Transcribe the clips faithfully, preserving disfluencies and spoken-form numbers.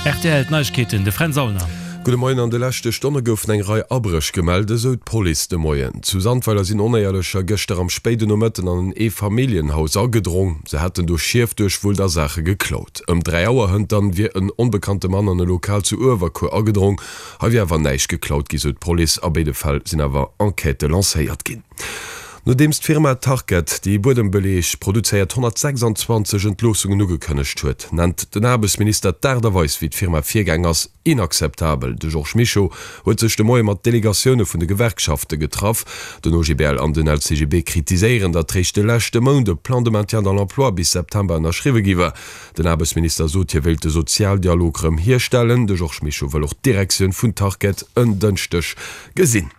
Rtl D'Neiegkeeten, de Fränz Aulner. Gudde Moien, An de leschte Stonne goufen eng Rei Abréch gemellt, esou d'Police de Moien. Zu Sandweiler sinn Onéierlecher gëschter am spéiden Nomëtten an en Eefamilljenhaus agedrong. Se hätten do Schief duerchwullt a Saache geklaut. Ëm dräi Auer hënt dann wier en onbekannte Mann an e Lokal zu Uewerkuer agedrong. Hei wier awer näischt geklaut gi, sou d'Police. A béide Fäll sinn awer Enquêtë lancéiert ginn. Nodeems d'Firma Tarkett, déi Buedembeleeg produzéiert, honnertsechsanzwanzeg Entloossungen ugekënnegt huet, nennt den Aarbechtsminister d'Aart a Weis, wéi d'Firma virgaang ass, inakzeptabel. De Georges Mischo huet sech de Moie mat Delegatioune vun de Gewerkschafte getraff. Den O G B L an den L C G B kritiséieren, datt réischt de leschte Mount e Plan de maintien dans l'emploi bis September ënnerschriwwe gi war. Den Aarbechtsminister sot, hie wéilt de Sozialdialog rëm hierstellen. De Georges Mischo wëll och d'Direktioun vun Tarkett en Dënschdeg gesinn.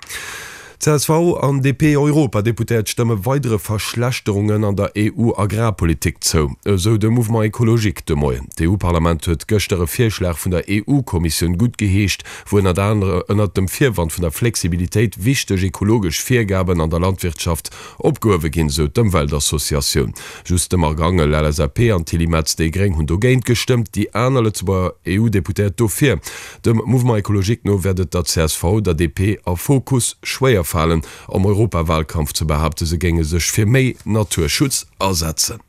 C S V an D P-Europadeputéiert stëmme weidere Verschlechterungen an der E U-Agrarpolitik zou, esou de Mouvement Ecologique de Moien. D'E U-Parlament huet gëschter e Virschlag vun der E U-Kommissioun guttgeheescht, wou ënnert anerem ënnert dem Virwand vun der Flexibilitéit wichteg ekologesch Virgaben an der Landwirtschaft opgehuewe ginn, sou d'Ëmweltassociatioun. Just de Marc Angel, L S A P, an d'Tilly Metz, déi gréng, hunn dogéint gestëmmt, déi aner Lëtzebuerger E U-Deputéiert dofir. Dem Mouvement Ecologique no wäert et der C S V, der D P a Fokus schwéier falen, am Europawalkampf ze behaapten, se géinge sech fir méi Naturschutz asetzen.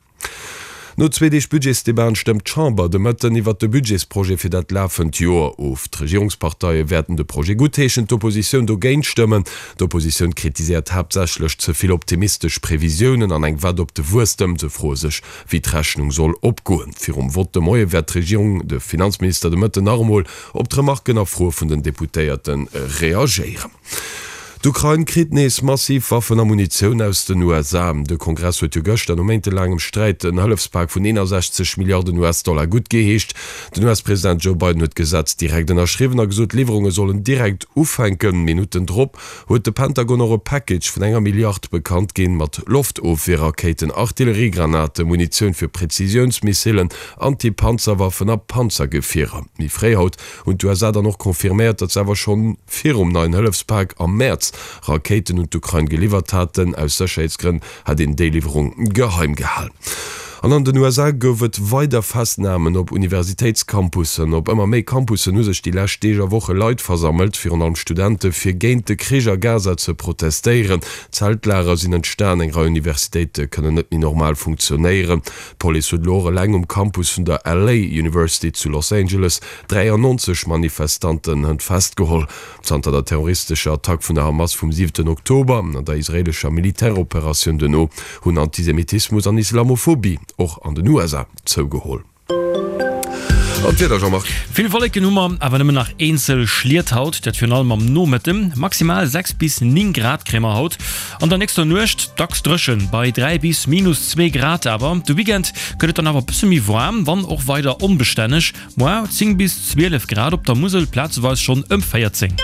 No zwee Deeg Budgetsdebatten stëmmt d'Chamber de Mëtten iwwert de Budgetsprojet fir dat lafend Joer of. D'Regierungsparteie wäerten de Projet guttheeschen, d'Oppositioun dogéint stëmmen. D'Oppositioun kritiséiert haaptsächlech ze vill optimistesch Previsiounen an eng Wett op de Wuesstem. Se froe sech, wéi d'Rechnung soll opgoen. Virum Vott de Moie wäert d'Regierung, de Finanzminister de Mëtten nach emol op d'Remarken a Froe vun den Deputéierte reagéieren. D'Ukrain kritt nees massiv Waffen a Munitioun aus den U S A. De Kongress huet jo gëschter no méintelaangem Sträit en Hëllefspak vun eenasechzeg Milliarden U S-Dollar guttgeheescht. Den U S-President Joe Biden huet d'Gesetz direkt ënnerschriwwen a gesot, d'Liwwerunge sollen direkt ufänken. Minutten drop huet de Pentagon och e Package vun enger Milliard bekannt ginn, mat Loftofwierrakéiten, Artilleriegranaten, Munitioun fir Präzisiounsmissilen, Anti-Panzerwaffen a Panzergefierer. Méi fréi haut hunn d'U S A dann och confirméiert, datt se awer schonn virum neien Hëllefspak am Mäerz Rakéiten un d'Ukrain geliwwert haten. Aus Sécherheetsgrënn hat een déi Liwwerung geheim gehalen. An an den U S A gouf et weider Festnamen op Universitéitscampussen. Op ëmmer méi Campussen hu sech déi lescht Deeg a Woche Leit versammelt, virun allem Studente fir géint de Krich a Gaza ze protestéieren. Zeltlager sinn entstan, eng Rei Universitéite kënnen net méi normal funktionéieren. D'Police huet elo och eleng um Campus vun der L A University zu Los Angeles dräiannonzeg Manifestanten festgeholl. Zanter der terroristescher Attack vun der Hamas vum siwenten Oktober an der israeelescher Militäroperatioun duerno hunn Antisemitismus an Islamophobie och an den U S A zougeholl. An d'Wieder, Jean-Marc. Vill Wolleken hu mer, awer nëmmen nach eenzel Schliet haut, dat virun allem am Nomëtten. Maximal sechs bis néng Grad kréie mer haut. An der nächster Nuecht dacks dréchen, bei dräi bis minus zwee Grad. Awer de Weekend gëtt et dann awer e bësse méi waarm, wann och weider onbestänneg. Moar zéng bis zwielef Grad, op der Musel plazeweis schonn ëm véierzéng.